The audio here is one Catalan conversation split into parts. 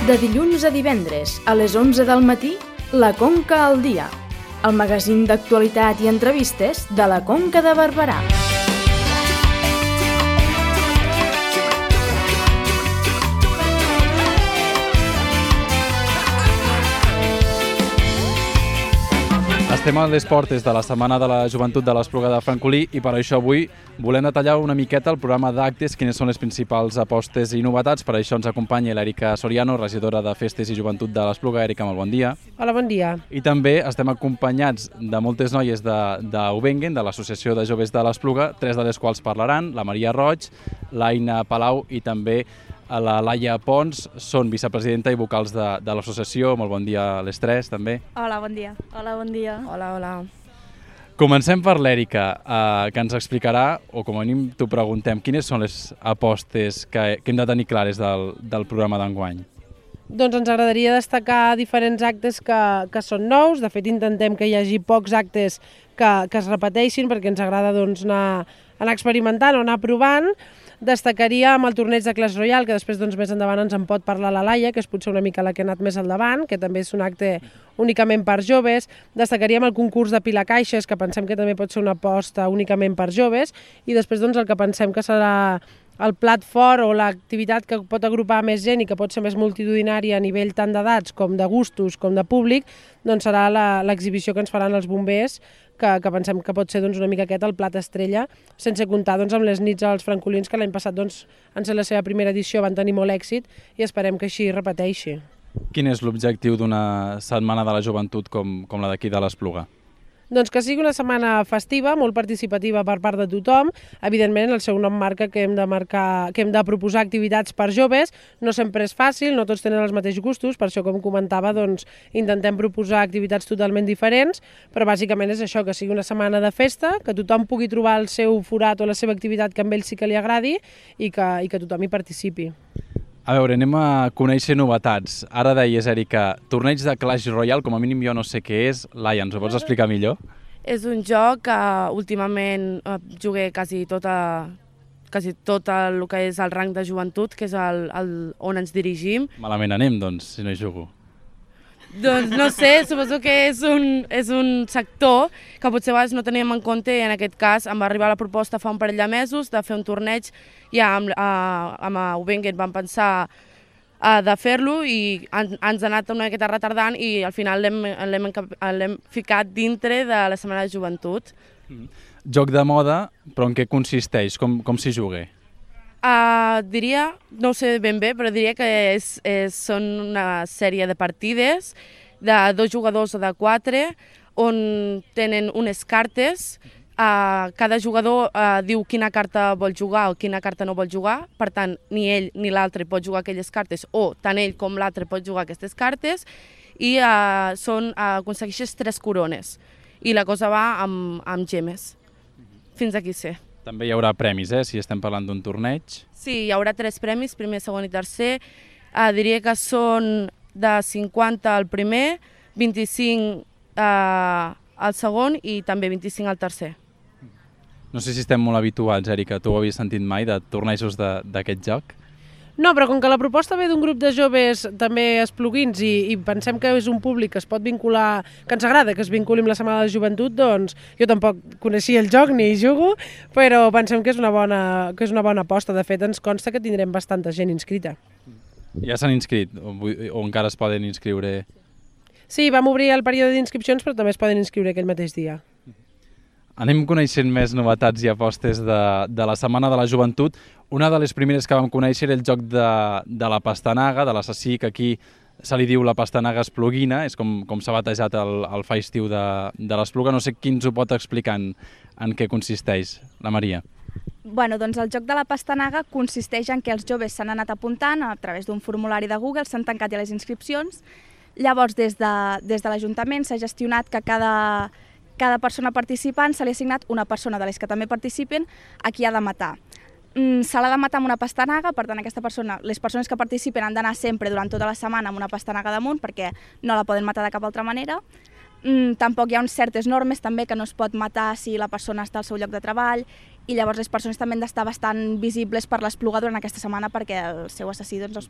De dilluns a divendres, a les 11 del matí, La Conca al dia, el magazín d'actualitat i entrevistes de la Conca de Barberà. Estem a les portes de la Setmana de la Joventut de l'Espluga de Francolí i per això avui volem detallar una miqueta el programa d'actes, quines són les principals apostes i novetats. Per això ens acompanya l'Èrica Soriano, regidora de Festes i Joventut de l'Espluga. Èrica, molt bon dia. Hola, bon dia. I també estem acompanyats de moltes noies d'Ubengen, de l'Associació de Joves de l'Espluga, tres de les quals parlaran, la Maria Roig, l'Aina Palau i també la Laia Pons, són vicepresidenta i vocals de l'associació. Molt bon dia a les tres, també. Hola, bon dia. Hola, bon dia. Hola, hola. Comencem per l'Èrica, que ens explicarà, o com a mínim t'ho preguntem, quines són les apostes que hem de tenir clares del programa d'enguany? Doncs ens agradaria destacar diferents actes que són nous. De fet, intentem que hi hagi pocs actes que es repeteixin perquè ens agrada anar experimentant o anar provant. Destacaríem el torneig de Clash Royale, que després més endavant ens en pot parlar la Laia, que és potser una mica la que ha anat més al davant, que també és un acte únicament per joves. Destacaríem el concurs de pilacaixes, que pensem que també pot ser una aposta únicament per joves. I després el que pensem que serà el plat fort o l'activitat que pot agrupar més gent i que pot ser més multitudinària a nivell tant d'edats com de gustos com de públic, doncs serà l'exhibició que ens faran els bombers, que pensem que pot ser una mica aquest el plat estrella, sense comptar amb les nits als francolins, que l'any passat en ser la seva primera edició van tenir molt èxit i esperem que així repeteixi. Quin és l'objectiu d'una setmana de la joventut com la d'aquí de l'Espluga? Doncs que sigui una setmana festiva, molt participativa per part de tothom. Evidentment, el seu nom marca que hem de proposar activitats per joves. No sempre és fàcil, no tots tenen els mateixos gustos, per això, com comentava, intentem proposar activitats totalment diferents, però bàsicament és això, que sigui una setmana de festa, que tothom pugui trobar el seu forat o la seva activitat que a ell sí que li agradi i que tothom hi participi. A veure, anem a conèixer novetats. Ara deies, Èrica, torneig de Clash Royale, com a mínim jo no sé què és. Laia, ens ho pots explicar millor? És un joc que últimament jugué quasi tot el que és el rang de joventut, que és on ens dirigim. Malament anem, doncs, si no hi jugo. Doncs no sé, suposo que és un sector que potser a vegades no teníem en compte i en aquest cas em va arribar la proposta fa un parell de mesos de fer un torneig. Ja amb Ubengen vam pensar de fer-lo i ens ha anat una miqueta retardant i al final l'hem ficat dintre de la Setmana de Joventut. Joc de moda, però en què consisteix? Com s'hi juga? Diria, no ho sé ben bé, però diria que són una sèrie de partides de 2 jugadors o de 4 on tenen unes cartes. Cada jugador diu quina carta vol jugar o quina carta no vol jugar, per tant ni ell ni l'altre pot jugar aquelles cartes o tant ell com l'altre pot jugar aquestes cartes i aconsegueixes 3 corones i la cosa va amb gemes, fins aquí sé. També hi haurà premis, si estem parlant d'un torneig. Sí, hi haurà 3 premis, primer, segon i tercer. Diria que són de 50 al primer, 25 al segon i també 25 al tercer. No sé si estem molt habituats, Èrica, tu ho havies sentit mai de tornejos d'aquest joc? No, però com que la proposta ve d'un grup de joves també espluguins i pensem que és un públic que es pot vincular, que ens agrada que es vinculi amb la Setmana de la Joventut, doncs jo tampoc coneixia el joc ni hi jugo, però pensem que és una bona aposta. De fet, ens consta que tindrem bastanta gent inscrita. Ja s'han inscrit o encara es poden inscriure? Sí, vam obrir el període d'inscripcions, però també es poden inscriure aquell mateix dia. Anem coneixent més novetats i apostes de la Setmana de la Joventut. Una de les primeres que vam conèixer era el joc de la pastanaga, de l'assassí, que aquí se li diu la pastanaga espluguina, és com s'ha batejat el fa estiu de l'Espluga. No sé qui ens ho pot explicar en què consisteix, la Maria. Doncs el joc de la pastanaga consisteix en que els joves s'han anat apuntant a través d'un formulari de Google, s'han tancat ja les inscripcions. Llavors, des de l'Ajuntament s'ha gestionat que cada persona participant se li ha assignat una persona de les que també participen a qui ha de matar. Se l'ha de matar amb una pastanaga, per tant les persones que participen han d'anar sempre durant tota la setmana amb una pastanaga damunt perquè no la poden matar de cap altra manera. Tampoc hi ha certes normes també que no es pot matar si la persona està al seu lloc de treball, i llavors les persones també han d'estar bastant visibles per l'espluga durant aquesta setmana perquè el seu assassí els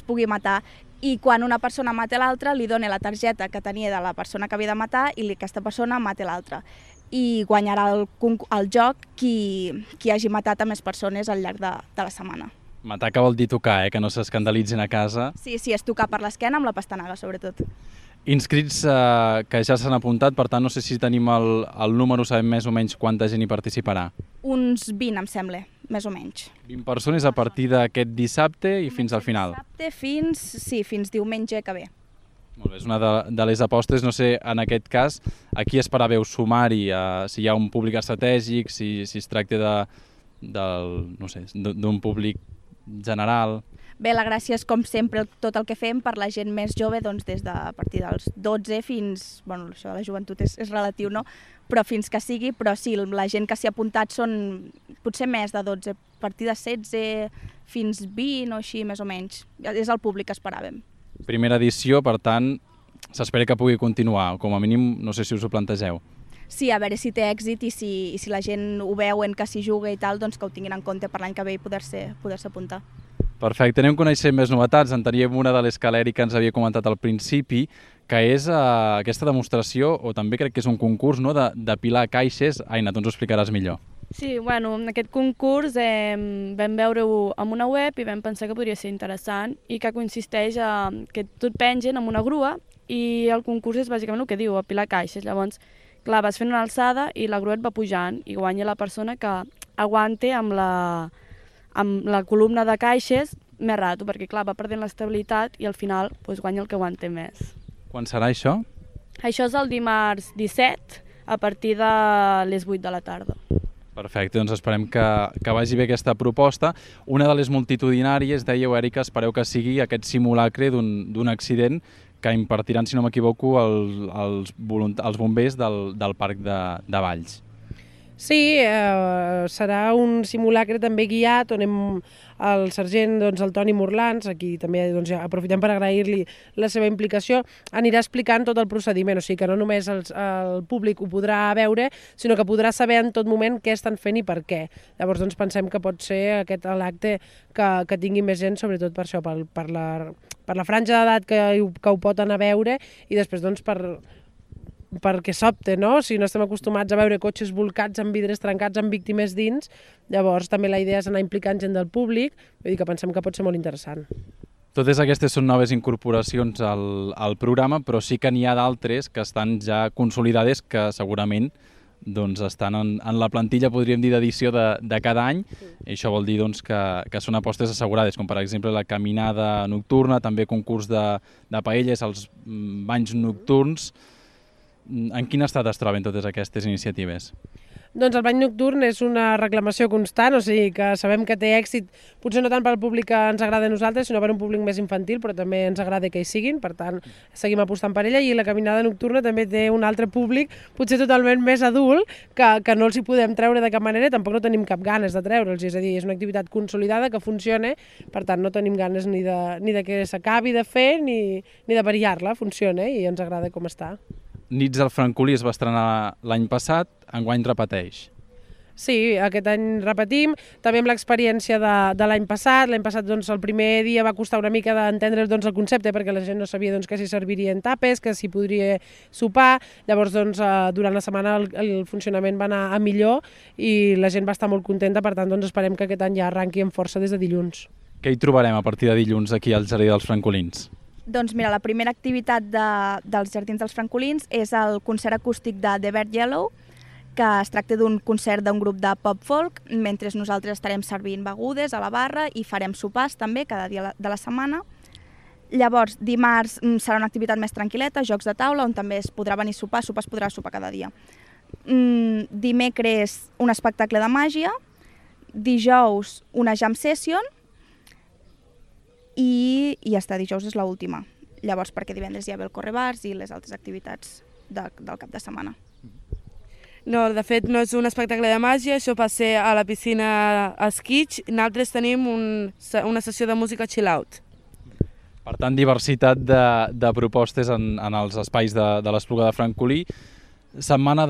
pugui matar. I quan una persona mata l'altra, li dona la targeta que tenia de la persona que havia de matar i aquesta persona mata l'altra. I guanyarà el joc qui hagi matat a més persones al llarg de la setmana. Matar que vol dir tocar, que no s'escandalitzin a casa. Sí, és tocar per l'esquena amb la pastanaga, sobretot. Inscrits que ja s'han apuntat, per tant no sé si tenim el número, sabem més o menys quanta gent hi participarà. Uns 20, em sembla, més o menys. 20 persones a partir d'aquest dissabte i fins al final. Dissabte fins diumenge que ve. Molt bé, és una de les apostes, no sé, en aquest cas, a qui esperàveu sumar-hi, si hi ha un públic estratègic, si es tracta d'un públic general. Bé, la gràcia és, com sempre, tot el que fem per la gent més jove, doncs des de a partir dels 12 fins... Bueno, això de la joventut és relatiu, no? Però fins que sigui, però sí, la gent que s'hi ha apuntat són potser més de 12, a partir de 16 fins 20 o així, més o menys. És el públic que esperàvem. Primera edició, per tant, s'espera que pugui continuar, com a mínim, no sé si us ho plantegeu. Sí, a veure si té èxit i si la gent ho veuen que s'hi juga i tal, doncs que ho tinguin en compte per l'any que ve i poder-se apuntar. Perfecte, anem coneixent més novetats. En teníem una de les que l'Èrica ens havia comentat al principi, que és aquesta demostració, o també crec que és un concurs, no?, d'apilar caixes. Aina, tu ens ho explicaràs millor. Sí, bueno, aquest concurs vam veure-ho en una web i vam pensar que podria ser interessant i que consisteix que tot pengen amb una grua i el concurs és bàsicament el que diu, apilar caixes. Llavors, clar, vas fent una alçada i la grua et va pujant i guanya la persona que aguante amb la columna de caixes més rato, perquè clar, va perdent l'estabilitat i al final guanya el que aguante més. Quan serà això? Això és el dimarts 17 a partir de les 8 de la tarda. Perfecte, doncs esperem que vagi bé aquesta proposta. Una de les multitudinàries, dèieu, Èrica, espereu que sigui aquest simulacre d'un accident que impartiran, si no m'equivoco, els bombers del Parc de Valls. Sí, serà un simulacre també guiat on el sergent, el Toni Morlans, aquí també aprofitem per agrair-li la seva implicació, anirà explicant tot el procediment, o sigui que no només el públic ho podrà veure, sinó que podrà saber en tot moment què estan fent i per què. Llavors pensem que pot ser aquest l'acte que tingui més gent, sobretot per això, per la franja d'edat que ho pot anar a veure i després perquè sobte, no? Si no estem acostumats a veure cotxes volcats amb vidres trencats amb víctimes dins, llavors també la idea és anar implicant gent del públic, vull dir que pensem que pot ser molt interessant. Totes aquestes són noves incorporacions al programa, però sí que n'hi ha d'altres que estan ja consolidades, que segurament estan en la plantilla, podríem dir, d'edició de cada any, i això vol dir que són apostes assegurades, com per exemple la caminada nocturna, també concurs de paelles, els banys nocturns. En quin estat es troben totes aquestes iniciatives? Doncs el bany nocturn és una reclamació constant, o sigui que sabem que té èxit, potser no tant per al públic que ens agrada a nosaltres, sinó per un públic més infantil, però també ens agrada que hi siguin, per tant seguim apostant per ella, i la caminada nocturna també té un altre públic, potser totalment més adult, que no els hi podem treure de cap manera, tampoc no tenim cap ganes de treure'ls, és a dir, és una activitat consolidada que funciona, per tant no tenim ganes ni de que s'acabi de fer ni de variar-la, funciona i ens agrada com està. Nits del Francolí es va estrenar l'any passat, enguany repeteix. Sí, aquest any repetim, també amb l'experiència de l'any passat. L'any passat el primer dia va costar una mica d'entendre el concepte perquè la gent no sabia que s'hi servirien tapes, que s'hi podria sopar. Llavors durant la setmana el funcionament va anar a millor i la gent va estar molt contenta, per tant esperem que aquest any ja arranqui amb força des de dilluns. Què hi trobarem a partir de dilluns aquí al Jardí dels Francolins? Doncs mira, la primera activitat dels Jardins dels Francolins és el concert acústic de The Bird Yellow, que es tracta d'un concert d'un grup de pop-folk, mentre nosaltres estarem servint begudes a la barra i farem sopars també cada dia de la setmana. Llavors, dimarts serà una activitat més tranquil·leta, jocs de taula, on també es podrà venir a sopar, es podrà sopar cada dia. Dimecres, un espectacle de màgia, dijous, una jam session, i ja està, dijous és l'última. Llavors, perquè divendres hi ha el correbars i les altres activitats del cap de setmana. No, de fet no és un espectacle de màgia, això va ser a la piscina Esquitx. Nosaltres tenim una sessió de música chill out. Per tant, diversitat de propostes en els espais de l'Espluga de Francolí. Setmana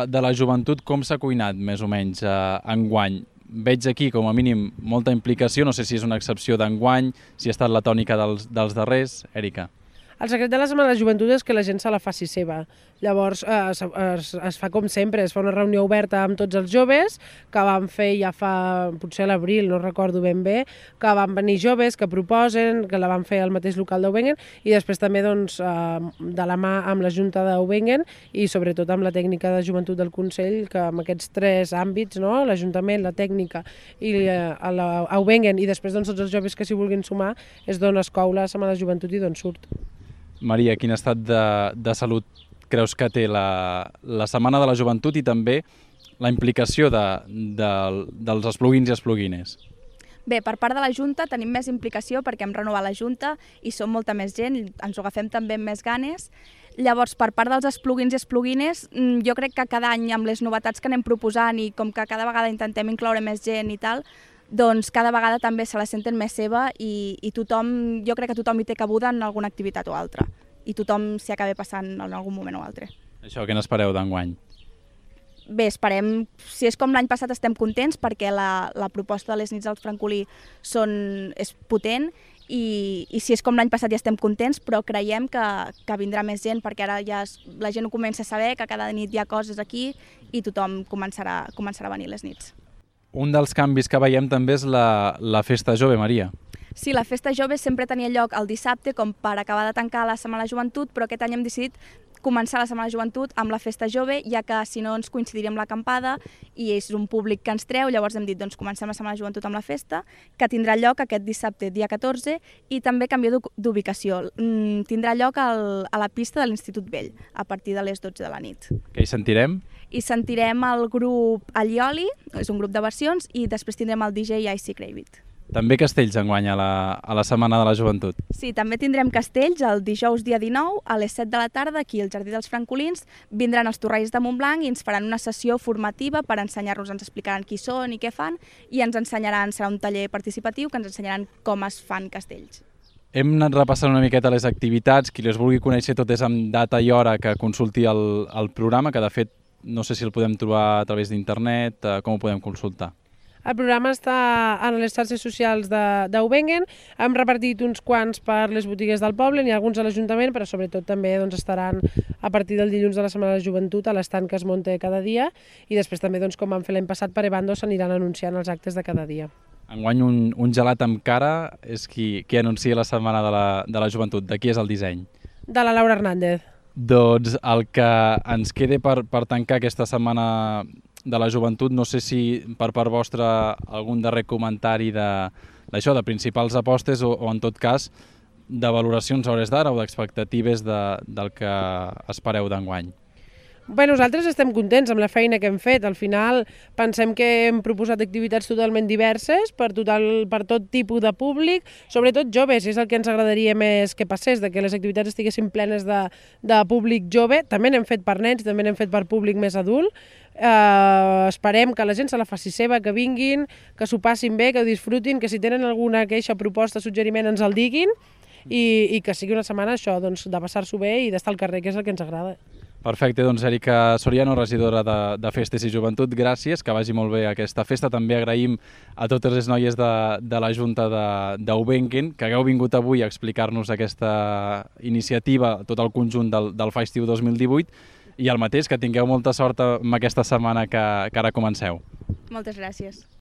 de la joventut, com s'ha cuinat més o menys enguany? Veig aquí, com a mínim, molta implicació, no sé si és una excepció d'enguany, si ha estat la tònica dels darrers. Èrica. El secret de la Setmana de la Joventut és que la gent se la faci seva. Llavors es fa com sempre, es fa una reunió oberta amb tots els joves, que van fer ja fa, potser a l'abril, no recordo ben bé, que van venir joves, que proposen, que la van fer al mateix local d'Aubengen, i després també doncs, de la mà amb la Junta d'Aubengen i sobretot amb la tècnica de joventut del Consell, que amb aquests tres àmbits, no? L'Ajuntament, la tècnica i l'Aubengen, i després doncs, tots els joves que s'hi vulguin sumar, és d'on es cou la Setmana de la Joventut i d'on surt. Maria, quin estat de salut creus que té la Setmana de la Joventut i també la implicació dels espluguins i espluguines? Bé, per part de la Junta tenim més implicació perquè hem renovat la Junta i som molta més gent, ens ho agafem també amb més ganes. Llavors, per part dels espluguins i espluguines, jo crec que cada any amb les novetats que anem proposant i com que cada vegada intentem incloure més gent i tal, doncs cada vegada també se la senten més seva i tothom, jo crec que tothom hi té cabuda en alguna activitat o altra i tothom s'hi acaba passant en algun moment o altre. Això, què n'espereu d'enguany? Bé, esperem, si és com l'any passat estem contents perquè la proposta de les nits del Francolí és potent i si és com l'any passat ja estem contents, però creiem que vindrà més gent perquè ara ja la gent ho comença a saber, que cada nit hi ha coses aquí i tothom començarà a venir les nits. Un dels canvis que veiem també és la Festa Jove, Maria. Sí, la Festa Jove sempre tenia lloc el dissabte com per acabar de tancar la Setmana de la Joventut, però aquest any hem decidit començar la Setmana de la Joventut amb la Festa Jove, ja que si no ens coincidiria amb l'acampada i és un públic que ens treu, llavors hem dit doncs comencem la Setmana de la Joventut amb la festa, que tindrà lloc aquest dissabte, dia 14, i també canvió d'ubicació. Tindrà lloc a la pista de l'Institut Vell, a partir de les 12 de la nit. Què hi sentirem? I sentirem el grup Allioli, és un grup de versions, i després tindrem el DJ Icy Cravit. També castells enguany a la Setmana de la Joventut. Sí, també tindrem castells el dijous dia 19 a les 7 de la tarda aquí al Jardí dels Francolins. Vindran els Torrells de Montblanc i ens faran una sessió formativa per ensenyar-nos, ens explicaran qui són i què fan i ens ensenyaran, serà un taller participatiu que ens ensenyaran com es fan castells. Hem anat repassant una miqueta les activitats, qui les vulgui conèixer totes amb data i hora que consulti el programa, que de fet no sé si el podem trobar a través d'internet, com ho podem consultar. El programa està en les xarxes socials d'Aubengen, hem repartit uns quants per les botigues del poble, n'hi ha alguns a l'Ajuntament, però sobretot també estaran a partir del dilluns de la Setmana de la Joventut a l'estand que es munta cada dia i després també, com vam fer l'any passat, per Ebando s'aniran anunciant els actes de cada dia. Enguany un gelat amb cara és qui anuncia la Setmana de la Joventut. De qui és el disseny? De la Laura Hernández. Doncs el que ens quede per tancar aquesta Setmana de la Joventut, no sé si per part vostra algun darrer comentari d'això, de principals apostes o en tot cas de valoracions a hores d'ara o d'expectatives del que espereu d'enguany. Bé, nosaltres estem contents amb la feina que hem fet. Al final pensem que hem proposat activitats totalment diverses per tot tipus de públic, sobretot joves, és el que ens agradaria més que passés, de que les activitats estiguessin plenes de públic jove. També n'hem fet per nens, també n'hem fet per públic més adult. Esperem que la gent se la faci seva, que vinguin, que s'ho passin bé, que ho disfrutin, que si tenen alguna queixa, proposta, suggeriment ens el diguin i que sigui una setmana això, de passar-s'ho bé i d'estar al carrer, que és el que ens agrada. Perfecte, doncs Èrica Soriano, regidora de Festes i Joventut, gràcies, que vagi molt bé aquesta festa. També agraïm a totes les noies de la Junta d'Aubengen que hagueu vingut avui a explicar-nos aquesta iniciativa, tot el conjunt del Fa Estiu 2018 i el mateix, que tingueu molta sort amb aquesta setmana que ara comenceu. Moltes gràcies.